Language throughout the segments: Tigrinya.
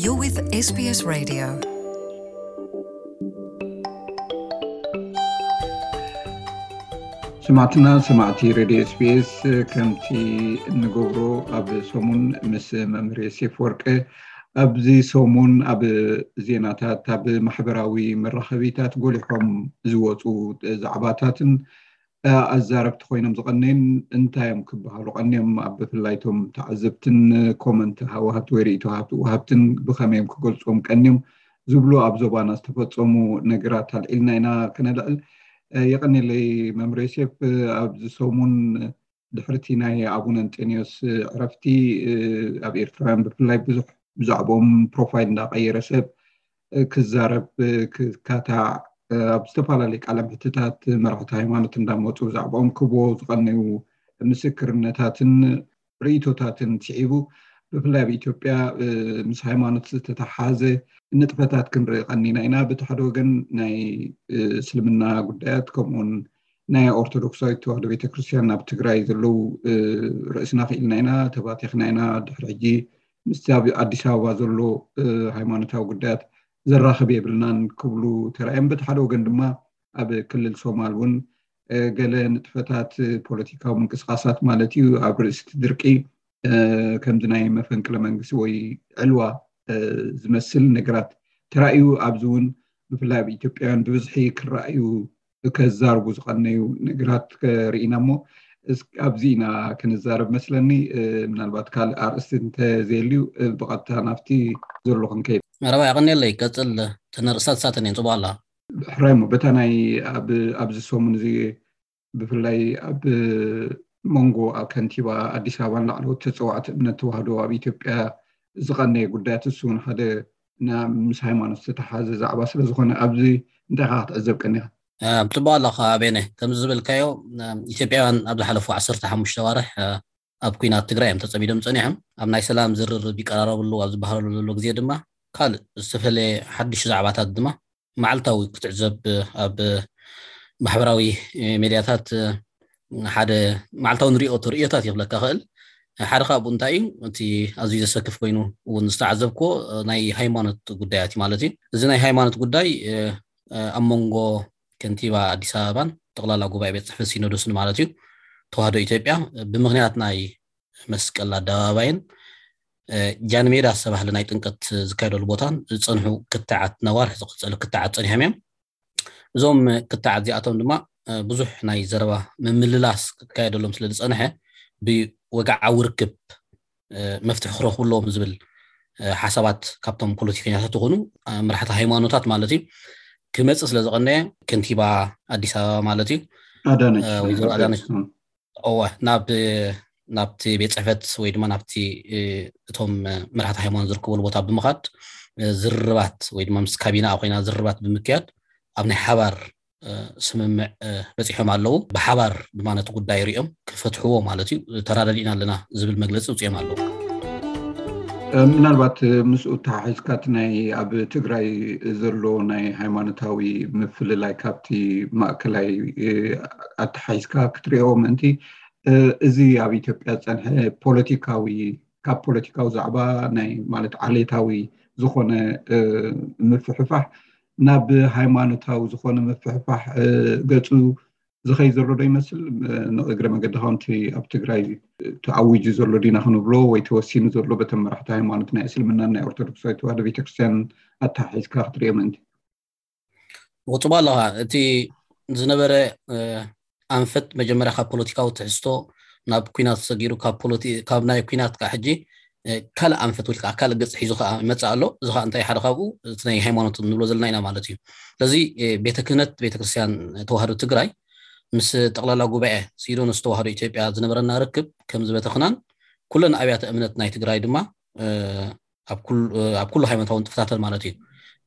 You're with S B S Radio. ስማዕትና ሰማዕቲ ሬድዮ ኤስቢኤስ፣ ከምቲ እንገብሮ ኣብ ሰሙን ምስ መምህር የሴፍ ወርቀ ኣብዚ ሰሙን ኣብ ዜናታት ኣብ ማሕበራዊ መራኸቢታት ጎሊሖም ዝወፁ ዛዕባታትን ኣዛረብቲ ኮይኖም ዝቐነዩን እንታይ እዮም ክበሃሉ ቀንዮም? ኣብ ብፍላይቶም ተዓዘብትን ኮመንት ሃወሃብቲ ወይ ርእይቶ ወሃብትን ብኸመይ እዮም ክገልፅዎም ቀንዮም ዝብሉ ኣብ ዞባና ዝተፈፀሙ ነገራት ኣልዒልና ኢና ከነልዕል። የቐኒለይ መምህር ዮሴፍ። ኣብዚ ሰሙን ድሕርቲ ናይ ኣቡነ እንጠንዮስ ዕረፍቲ ኣብ ኤርትራውያን ብፍላይ ብዙሕ ብዛዕባኦም ፕሮፋይል እንዳቀየረ ሰብ ክዛረብ ክካታዕ ኣብ ዝተፈላለዩ ቃለ ምሕትታት መራሕቲ ሃይማኖት እንዳመፁ ብዛዕባኦም ክቦ ዝቐነዩ ምስክርነታትን ርእይቶታትን ስዒቡ ብፍላይ ኣብ ኢትዮጵያ ምስ ሃይማኖት ዝተተሓዘ ንጥፈታት ክንርኢ ቀኒና ኢና። በቲ ሓደ ወገን ናይ እስልምና ጉዳያት ከምኡውን ናይ ኦርቶዶክሳዊት ተዋህዶ ቤተክርስትያን ኣብ ትግራይ ዘለዉ ርእስና ክኢልና ኢና፣ ተባቲኽና ኢና። ድሕሪ ሕጂ ምስቲ ኣብ ኣዲስ ኣበባ ዘሎ ሃይማኖታዊ ጉዳያት ዘራኽብ የብልናን ክብሉ ተራእዮም። በቲ ሓደ ወገን ድማ ኣብ ክልል ሶማል እውን ገለ ንጥፈታት ፖለቲካዊ ምንቅስቃሳት ማለት እዩ ኣብ ርእሲ እቲ ድርቂ ከምዚ ናይ መፈንቅለ መንግስቲ ወይ ዕልዋ ዝመስል ነገራት ተራእዩ። ኣብዚ እውን ብፍላይ ኣብ ኢትዮጵያውያን ብብዝሒ ክረኣዩ ከዛርቡ ዝቐነዩ ነገራት ርኢና እሞ ኣብዚ ኢና ክንዛረብ መስለኒ። ምናልባት ካልእ ኣርእስቲ እንተዘየልዩ ብቐጥታ ናብቲ ዘሎ ክንከይድ። መረባ የቐንየለይ። ቀፅል። ተነርእሳት ሳተን እየን ፅቡቅ ኣላ። ሕራይ እሞ በታ ናይ ኣብዚ ሰሙን እዚ ብፍላይ ኣብ መንጎ ከንቲባ ኣዲስ ኣበባን ላዕለዎት ተፀዋዕቲ እምነት ተዋህዶ ኣብ ኢትዮጵያ ዝቐነየ ጉዳያት እሱ እውን ሓደ ምስ ሃይማኖት ዝተተሓዘ ዛዕባ ስለዝኾነ ኣብዚ እንታይ ኢኻ ክትዕዘብ ቀኒኻ? ጽቡቕ ኣለኻ ቤነ። ከምዚ ዝበልካዮ ኢትዮጵያውያን ኣብ ዝሓለፉ ዓሰርተ ሓሙሽተ ኣዋርሕ ኣብ ኲናት ትግራይ እዮም ተጸሚዶም ጸኒሖም። ኣብ ናይ ሰላም ዝርርብ ይቀራረቡ ኣለዉ ኣብ ዝበሃለሉ ዘሎ ግዜ ድማ ካልእ ዝተፈለየ ሓድሽ ዛዕባታት ድማ መዓልታዊ ክትዕዘብ ኣብ ማሕበራዊ ሜድያታት ሓደ መዓልታዊ ንሪኦ ተርእዮታት ይኽለካ ኽእል። ሓደ ካብኡ እንታይ እዩ እቲ ኣዝዩ ዘሰክፍ ኮይኑ እውን ዝተዓዘብክዎ ናይ ሃይማኖት ጉዳያት እዩ ማለት እዩ። እዚ ናይ ሃይማኖት ጉዳይ ኣብ መንጎ ከንቲባ ኣዲስ ኣበባን ጠቕላላ ጉባኤ ቤት ፅሕፈት ሲኖዶስን ማለት እዩ ተዋህዶ ኢትዮጵያ ብምኽንያት ናይ መስቀል ኣደባባይን ጃንሜዳ ዝተባህለ ናይ ጥምቀት ዝካየደሉ ቦታን ዝፀንሑ ክትዓት ነዋርሕ ዝቐፀሉ ክትዓት ፀኒሖም እዮም። እዞም ክትዓት እዚኣቶም ድማ ብዙሕ ናይ ዘረባ ምምልላስ ክካየደሎም ስለ ዝፀንሐ ብወግዓዊ ርክብ መፍትሒ ክረኽቡ ኣለዎም ዝብል ሓሳባት ካብቶም ፖለቲከኛታት ዝኾኑ መራሕቲ ሃይማኖታት ማለት እዩ ክመፅእ ስለ ዝቐነየ ከንቲባ ኣዲስ ኣበባ ማለት እዩ ወይዘሮ ኣዳነች እወ ናብ ናብቲ ቤት ፅሕፈት ወይ ድማ ናብቲ እቶም መራሕቲ ሃይማኖት ዝርከብሉ ቦታ ብምኻድ ዝርርባት ወይ ድማ ምስ ካቢናኣ ኮይና ዝርርባት ብምክያድ ኣብ ናይ ሓባር ስምምዕ በፂሖም ኣለዉ። ብሓባር ድማ ነቲ ጉዳይ ሪኦም ክፈትሕዎ ማለት እዩ ተራዳዲእና ኣለና ዝብል መግለፂ ውፅኦም ኣለዉ። ምናልባት ምስኡ ተሓሒዝካ እቲ ናይ ኣብ ትግራይ ዘሎ ናይ ሃይማኖታዊ ምፍልላይ ካብቲ ማእከላይ ኣተሓሒዝካ ክትሪኦ ምእንቲ እዚ ኣብ ኢትዮጵያ ዝፀንሐ ፖለቲካዊ ካብ ፖለቲካዊ ዛዕባ ናይ ማለት ዓሌታዊ ዝኾነ ምፍሕፋሕ ናብ ሃይማኖታዊ ዝኾነ ምፍሕፋሕ ገፁ ዝኸይ ዘሎ ዶ ይመስል? ንእግረ መገዲ ከምቲ ኣብ ትግራይ ተኣዊጁ ዘሎ ዲና ክንብሎ ወይ ተወሲኑ ዘሎ በተን መራሕቲ ሃይማኖት ናይ እስልምናን ናይ ኦርቶዶክሳዊ ተዋህዶ ቤተክርስትያን ኣተሓሒዝካ ክትሪኦ ምእንቲ። ወፅባ ኣለኻ እቲ ዝነበረ ኣንፈት መጀመርያ ካብ ፖለቲካዊ ትሕዝቶ ናብ ኩናት ሰጊሩ ካብ ናይ ኩናት ከዓ ሕጂ ካልእ ኣንፈት ወይ ከዓ ካልእ ገፅ ሒዙ ከዓ ይመፅእ ኣሎ። እዚ ከዓ እንታይ ሓደ ካብኡ እቲ ናይ ሃይማኖት ንብሎ ዘለና ኢና ማለት እዩ። ስለዚ ቤተ ክህነት ቤተክርስትያን ተዋህዶ ትግራይ ምስ ጠቕላላ ጉባኤ ሲኖዶስ ተዋህዶ ኢትዮጵያ ዝነበረና ርክብ ከም ዝበተኽናን ኩለን ኣብያተ እምነት ናይ ትግራይ ድማ ኣብ ኩሉ ሃይማኖታዊ ንጥፍታተን ማለት እዩ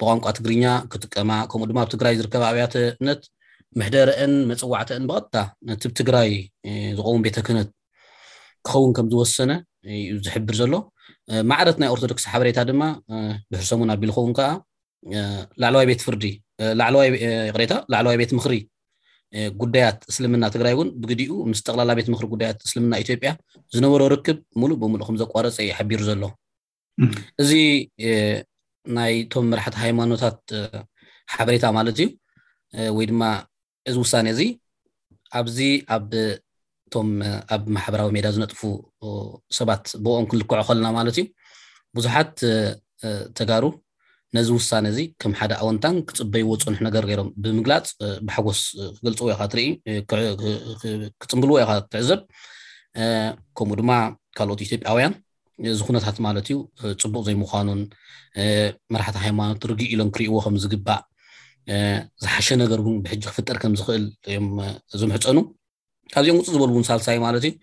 ብቋንቋ ትግርኛ ክጥቀማ ከምኡ ድማ ኣብ ትግራይ ዝርከባ ኣብያተ እምነት ምሕደረአን መፅዋዕተአን ብቐጥታ ነቲ ትግራይ ዝኸውን ቤተ ክህነት ክኸውን ከም ዝወሰነ እዩ ዝሕብር ዘሎ። ማዕረት ናይ ኦርቶዶክስ ሓበሬታ ድማ ድሕሪ ሰሙን ኣቢሉ ኸውን ከዓ ላዕለዋይ ቤት ፍርዲ ላዕለዋይ ይቕሬታ ላዕለዋይ ቤት ምኽሪ ጉዳያት እስልምና ትግራይ እውን ብግዲኡ ምስ ጠቕላላ ቤት ምኽሪ ጉዳያት እስልምና ኢትዮጵያ ዝነበሮ ርክብ ሙሉእ ብሙሉእ ከም ዘቋረፀ እዩ ሓቢሩ ዘሎ። እዚ ናይቶም መራሕቲ ሃይማኖታት ሓበሬታ ማለት እዩ። ወይ ድማ እዚ ውሳኔ እዚ ኣብዚ ኣብ እቶም ኣብ ማሕበራዊ ሜዳ ዝነጥፉ ሰባት ብኦም ክንልክዖ ከለና ማለት እዩ፣ ብዙሓት ተጋሩ ነዚ ውሳነ እዚ ከም ሓደ ኣወንታን ክፅበይዎ ዝፀንሑ ነገር ገይሮም ብምግላፅ ብሓጎስ ክገልፅዎ ኢኻ ትርኢ፣ ክፅምብልዎ ኢኻ ትዕዘብ። ከምኡ ድማ ካልኦት ኢትዮጵያውያን እዚ ኩነታት ማለት እዩ ፅቡቕ ዘይምዃኑን መራሕቲ ሃይማኖት ርግእ ኢሎም ክርእይዎ ከም ዝግባእ፣ ዝሓሸ ነገር እውን ብሕጂ ክፍጠር ከም ዝኽእል እዮም ዝምሕፀኑ። ካብዚኦም ውፅእ ዝበሉ እውን ሳልሳይ ማለት እዩ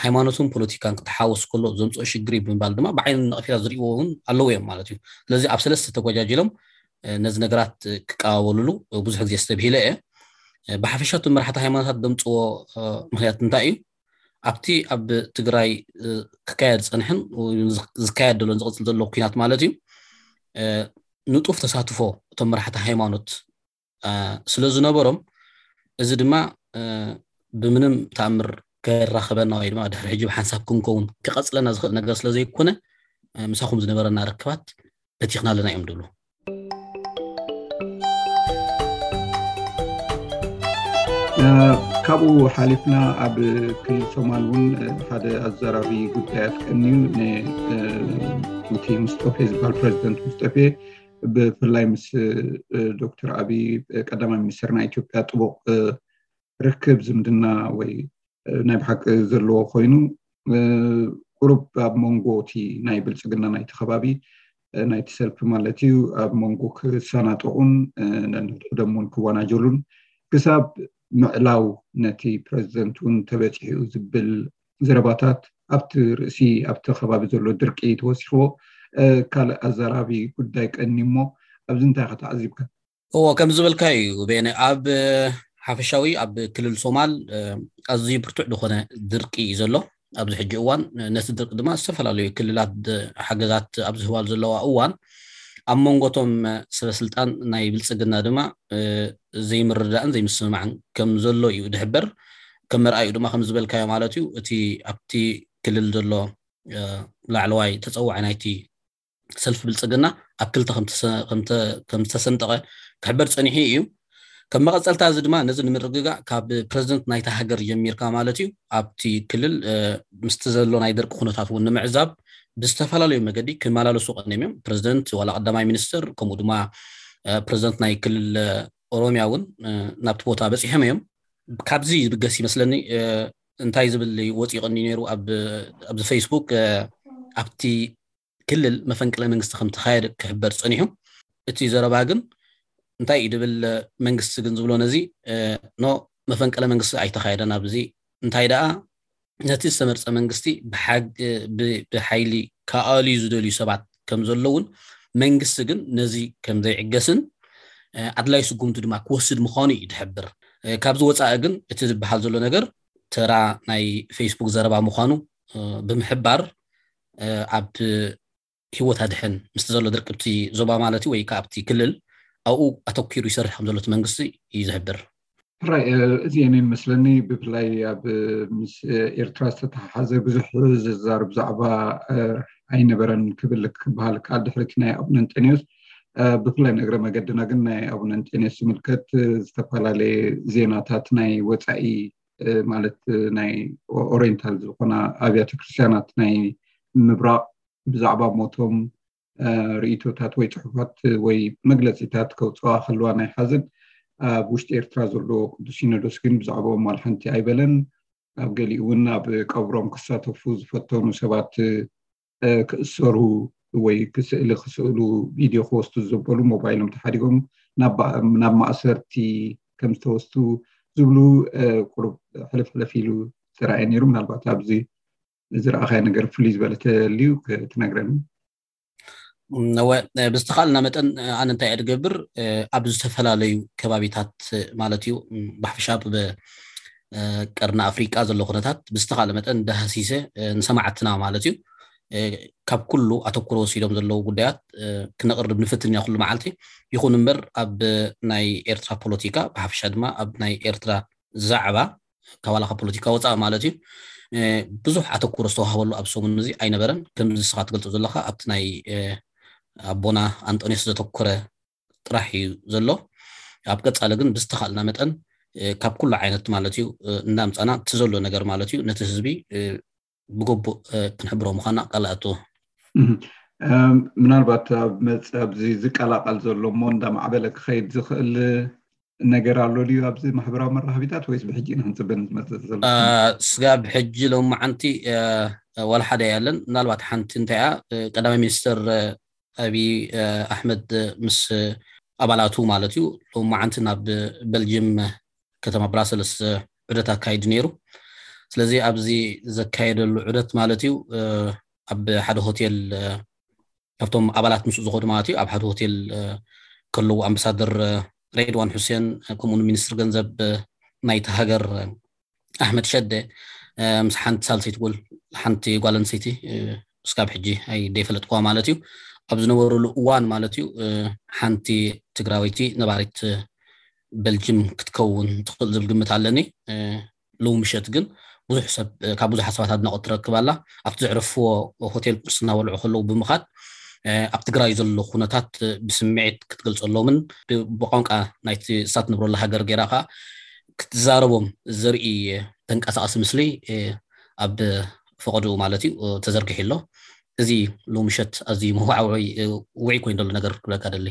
ሃይማኖትን ፖለቲካን ክተሓወስ ከሎ ዘምፅኦ ሽግር እዩ ብምባል ድማ ብዓይኒ ነቐፌታ ዝርእይዎ እውን ኣለዉ እዮም ማለት እዩ። ስለዚ ኣብ ሰለስተ ተጎጃጅሎም ነዚ ነገራት ክቀባበሉሉ ብዙሕ ግዜ ዝተብሂለ እየ። ብሓፈሻ እቶም መራሕቲ ሃይማኖታት ዘምፅዎ ምክንያት እንታይ እዩ? ኣብቲ ኣብ ትግራይ ክካየድ ዝፀንሐን ዝካየድ ዘሎን ዝቕፅል ዘሎ ኩናት ማለት እዩ ንጡፍ ተሳትፎ እቶም መራሕቲ ሃይማኖት ስለ ዝነበሮም፣ እዚ ድማ ብምንም ተኣምር ከራኸበና ወይ ድማ ድሕሪ ሕጂ ብሓንሳብ ክንከውን ክቐፅለና ዝኽእል ነገር ስለ ዘይኮነ፣ ምሳኹም ዝነበረና ርክባት በቲኽና ኣለና እዮም ዝብሉ። ካብኡ ሓሊፍና ኣብ ክልል ሶማል እውን ሓደ ኣዘራቢ ጉዳያት ቀንዩ እቲ ሙስጠፌ ዝበሃል ፕሬዚደንት ሙስጠፌ ብፍላይ ምስ ዶክተር ኣብይ ቀዳማይ ሚኒስትር ናይ ኢትዮጵያ ጥቡቕ ርክብ ዝምድና ወይ ናይ ብሓቂ ዘለዎ ኮይኑ ቁሩብ ኣብ መንጎ እቲ ናይ ብልፅግና ናይቲ ከባቢ ናይቲ ሰልፊ ማለት እዩ ኣብ መንጎ ክሰናጠቑን ነንሕድሕዶም እውን ክወናጀሉን ክሳብ ምዕላው ነቲ ፕረዚደንት እውን ተበፂሑ ዝብል ዘረባታት ኣብቲ ርእሲ ኣብቲ ከባቢ ዘሎ ድርቂ ተወሲኽዎ ካልእ ኣዘራቢ ጉዳይ ቀኒ እሞ ኣብዚ እንታይ ከተዓዚብካ? እዎ ከም ዝበልካ እዩ ቤነ ኣብ ሓፈሻዊ ኣብ ክልል ሶማል ኣዝዩ ብርቱዕ ዝኾነ ድርቂ እዩ ዘሎ ኣብዚ ሕጂ እዋን። ነቲ ድርቂ ድማ ዝተፈላለዩ ክልላት ሓገዛት ኣብ ዝህባሉ ዘለዋ እዋን ኣብ መንጎቶም ሰበስልጣን ናይ ብልፅግና ድማ ዘይምርዳእን ዘይምስምማዕን ከም ዘሎ እዩ ድሕበር። ከም መርኣዩ ድማ ከም ዝበልካዮ ማለት እዩ እቲ ኣብቲ ክልል ዘሎ ላዕለዋይ ተፀዋዒ ናይቲ ሰልፊ ብልፅግና ኣብ ክልተ ከም ዝተሰንጠቐ ክሕበር ፀኒሑ እዩ። ከም መቐፀልታ እዚ ድማ ነዚ ንምርግጋእ ካብ ፕረዚደንት ናይታ ሃገር ጀሚርካ ማለት እዩ ኣብቲ ክልል ምስቲ ዘሎ ናይ ደርቂ ኩነታት እውን ንምዕዛብ ብዝተፈላለዩ መገዲ ክመላለሱ ቀኒዮም እዮም። ፕረዚደንት ዋላ ቀዳማይ ሚኒስትር ከምኡ ድማ ፕረዚደንት ናይ ክልል ኦሮሚያ እውን ናብቲ ቦታ በፂሖም እዮም። ካብዚ ዝብገስ ይመስለኒ እንታይ ዝብል ወፂኡ ቀኒ ነይሩ ኣብዚ ፌስቡክ ኣብቲ ክልል መፈንቅለ መንግስቲ ከም ተኻየደ ክሕበር ፀኒሑ። እቲ ዘረባ ግን እንታይ እዩ ድብል መንግስቲ ግን ዝብሎ ነዚ ኖ መፈንቅለ መንግስቲ ኣይተኻየደን ኣብዚ እንታይ ደኣ ነቲ ዝተመርፀ መንግስቲ ብሓይሊ ከኣልዩ ዝደልዩ ሰባት ከም ዘለውን መንግስቲ ግን ነዚ ከም ዘይዕገስን ኣድላይ ስጉምቲ ድማ ክወስድ ምዃኑ እዩ ድሕብር። ካብዚ ወፃኢ ግን እቲ ዝበሃል ዘሎ ነገር ተራ ናይ ፌስቡክ ዘረባ ምዃኑ ብምሕባር ኣብ ህይወት ኣድሕን ምስቲ ዘሎ ድርቅብቲ ዞባ ማለት ወይ ከዓ ኣብቲ ክልል ኣብኡ ኣተኪሩ ይሰርሕ ከም ዘሎ እቲ መንግስቲ እዩ ዝሕብር። ሕራይ እዚአን እየን መስለኒ ብፍላይ ኣብ ምስ ኤርትራ ዝተተሓሓዘ ብዙሕ ዝዛር ብዛዕባ ኣይነበረን ክብል ክበሃል ከዓል ድሕሪቲ ናይ ኣቡነ እንጠንዮስ ብፍላይ ንእግረ መገድና ግን ናይ ኣቡነ እንጠንዮስ ዝምልከት ዝተፈላለየ ዜናታት ናይ ወፃኢ ማለት ናይ ኦሪንታል ዝኾና ኣብያተ ክርስትያናት ናይ ምብራቕ ብዛዕባ ሞቶም ርእቶታት ወይ ፅሑፋት ወይ መግለፂታት ከውፅዋ ከለዋ ናይ ሓዘን ኣብ ውሽጢ ኤርትራ ዘሎ ቅዱስ ሲኖዶስ ግን ብዛዕባኦም ዋላ ሓንቲ ኣይበለን። ኣብ ገሊኡ እውን ኣብ ቀብሮም ክሳተፉ ዝፈተኑ ሰባት ክእሰሩ ወይ ክስእሊ ክስእሉ ቪድዮ ክወስዱ ዘበሉ ሞባይሎም ተሓዲጎም ናብ ማእሰርቲ ከም ዝተወስዱ ዝብሉ ቁሩብ ሕልፍ ሕልፍ ኢሉ ዝተረኣየ ነይሩ። ምናልባት ኣብዚ ዝረኣኻዮ ነገር ፍሉይ ዝበለ ተልዩ ክትነግረኒ። እወ ብዝተኻልና መጠን ኣነ እንታይ እየ ድገብር ኣብ ዝተፈላለዩ ከባቢታት ማለት እዩ ብሓፈሻ ቀርኒ ኣፍሪቃ ዘሎ ኩነታት ብዝተኻለ መጠን ዳሃሲሰ ንሰማዕትና ማለት እዩ ካብ ኩሉ ኣተኩሮ ወሲዶም ዘለዉ ጉዳያት ክነቕርብ ንፍትን ኢና ኩሉ መዓልቲ። ይኹን እምበር ኣብ ናይ ኤርትራ ፖለቲካ ብሓፈሻ ድማ ኣብ ናይ ኤርትራ ዛዕባ ካብ ዋላ ካብ ፖለቲካ ወፃእ ማለት እዩ ብዙሕ ኣተኩሮ ዝተዋህበሉ ኣብ ሰሙን እዚ ኣይነበረን። ከምዚ ንስኻ ትገልጾ ዘለኻ ኣብቲ ናይ ኣቦና ኣንጦንዮስ ዘተኮረ ጥራሕ እዩ ዘሎ። ኣብ ቀጻሊ ግን ብዝተኻልና መጠን ካብ ኩሉ ዓይነት ማለት እዩ እናምጻና እቲ ዘሎ ነገር ማለት እዩ ነቲ ህዝቢ ብግቡእ ክንሕብሮ ምዃና ቃል ኣእትዎ። ምናልባት ኣብዚ ዝቀላቀል ዘሎ እሞ እንዳማዕበለ ክኸይድ ዝኽእል ነገር ኣሎ ድዩ ኣብዚ ማሕበራዊ መራኸቢታት፣ ወይስ ብሕጂ ኢና ክንፅበ ንመፅእ ዘሎ? ስጋብ ሕጂ ሎማዓንቲ ዋላ ሓደ ያለን። ምናልባት ሓንቲ እንታይ እያ፣ ቀዳማይ ሚኒስትር ኣብይ ኣሕመድ ምስ ኣባላቱ ማለት እዩ ሎማዓንቲ ናብ በልጅም ከተማ ብራሰልስ ዑደት ኣካይዱ ነይሩ። ስለዚ ኣብዚ ዘካየደሉ ዑደት ማለት እዩ ኣብ ሓደ ሆቴል ካብቶም ኣባላት ምስኡ ዝኸዱ ማለት እዩ ኣብ ሓደ ሆቴል ከለዉ ኣምባሳደር ሬድዋን ሑሴን ከምኡውን ሚኒስትር ገንዘብ ናይቲ ሃገር ኣሕመድ ሸደ ምስ ሓንቲ ሳልሰይቲ ጎል ሓንቲ ጓል ኣንስተይቲ እስካብ ሕጂ ኣይደይፈለጥኩዋ ማለት እዩ ኣብ ዝነበሩሉ እዋን ማለት እዩ ሓንቲ ትግራወይቲ ነባሪት በልጅም ክትከውን ትኽእል ዝብል ግምት ኣለኒ። ሎሚ ምሸት ግን ብዙሕ ሰብ ካብ ብዙሓት ሰባት ኣድናቆት ትረክብ ኣላ። ኣብቲ ዘዕረፍዎ ሆቴል ቁርሲ እናበልዑ ከለዉ ብምኻድ ኣብ ትግራይ ዘሎ ኩነታት ብስምዒት ክትገልፀሎምን ብቋንቋ ናይቲ እሳት ንብረሉ ሃገር ገይራ ከዓ ክትዛረቦም ዘርኢ ተንቀሳቀሲ ምስሊ ኣብ ፈቀድኡ ማለት እዩ ተዘርጊሑ ኣሎ። እዚ ሎሚ ምሸት ኣዝዩ መዋዕውዒ ውዒ ኮይኑ ዘሎ ነገር ክብለካ ደሊ።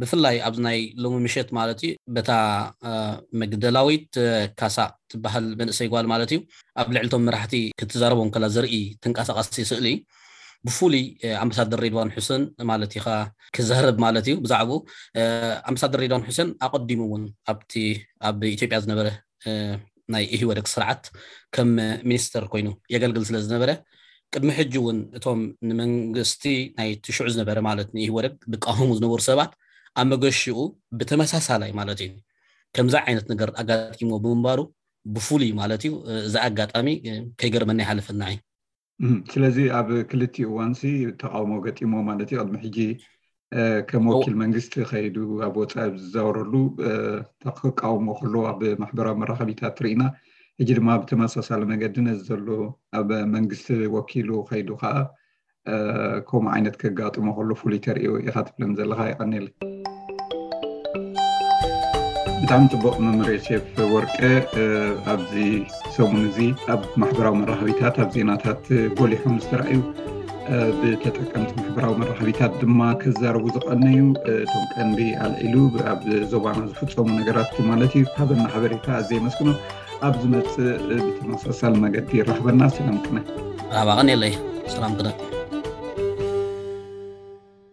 ብፍላይ ኣብዚ ናይ ሎሚ ምሸት ማለት እዩ በታ መግደላዊት ካሳ ትበሃል መንእሰይ ጓል ማለት እዩ ኣብ ልዕልቶም መራሕቲ ክትዛረቦም ከላ ዘርኢ ተንቀሳቀሲ ስእሊ ብፍሉይ ኣምባሳደር ሬድዋን ሑሰን ማለት ኢኻ ክዛረብ ማለት እዩ ብዛዕባኡ ኣምባሳደር ሬድዋን ሑሰን ኣቀዲሙ እውን ኣብቲ ኣብ ኢትዮጵያ ዝነበረ ናይ ኢህወደግ ስርዓት ከም ሚኒስተር ኮይኑ የገልግል ስለ ዝነበረ ቅድሚ ሕጂ እውን እቶም ንመንግስቲ ናይ ትሽዑ ዝነበረ ማለት ንኢህወደግ ዝቃወሙ ዝነበሩ ሰባት ኣብ መገሽኡ ብተመሳሳላይ ማለት እዩ ከምዚ ዓይነት ነገር ኣጋጢሞ ብምንባሩ ብፍሉይ ማለት እዩ እዚ ኣጋጣሚ ከይገርመና ይሓልፈና እዩ። ስለዚ ኣብ ክልቲኡ እዋንሲ ተቃውሞ ገጢሞ ማለት እዩ ቅድሚ ሕጂ ከም ወኪል መንግስቲ ከይዱ ኣብ ወፃኢ ዝዛወረሉ ክቃወሞ ከሎ ኣብ ማሕበራዊ መራኸቢታት ርኢና። ሕጂ ድማ ብተመሳሳሊ መገዲ ነዚ ዘሎ ኣብ መንግስቲ ወኪሉ ከይዱ ከዓ ከምኡ ዓይነት ከጋጥሞ ከሎ ፍሉይ ተርእዮ ኢኻ ትብለን ዘለኻ። ይቀኒል። ብጣዕሚ ፅቡቅ መምህር ዮሴፍ ወርቀ። ኣብዚ ሰሙን እዚ ኣብ ማሕበራዊ መራኸቢታት ኣብ ዜናታት ጎሊሖም ዝተረኣዩ ብተጠቀምቲ ማሕበራዊ መራኸቢታት ድማ ከዛረቡ ዝቀነዩ እቶም ቀንዲ ኣልዒሉ ኣብ ዞባና ዝፍፀሙ ነገራት ማለት እዩ ሃበና ሓበሬታ ኣዘይ መስግኖ። ኣብ ዝመፅእ ብተመሳሳሊ መገዲ ይራኽበና። ሰላም ቅነ። ራባቐን የለይ። ሰላም ቅነ።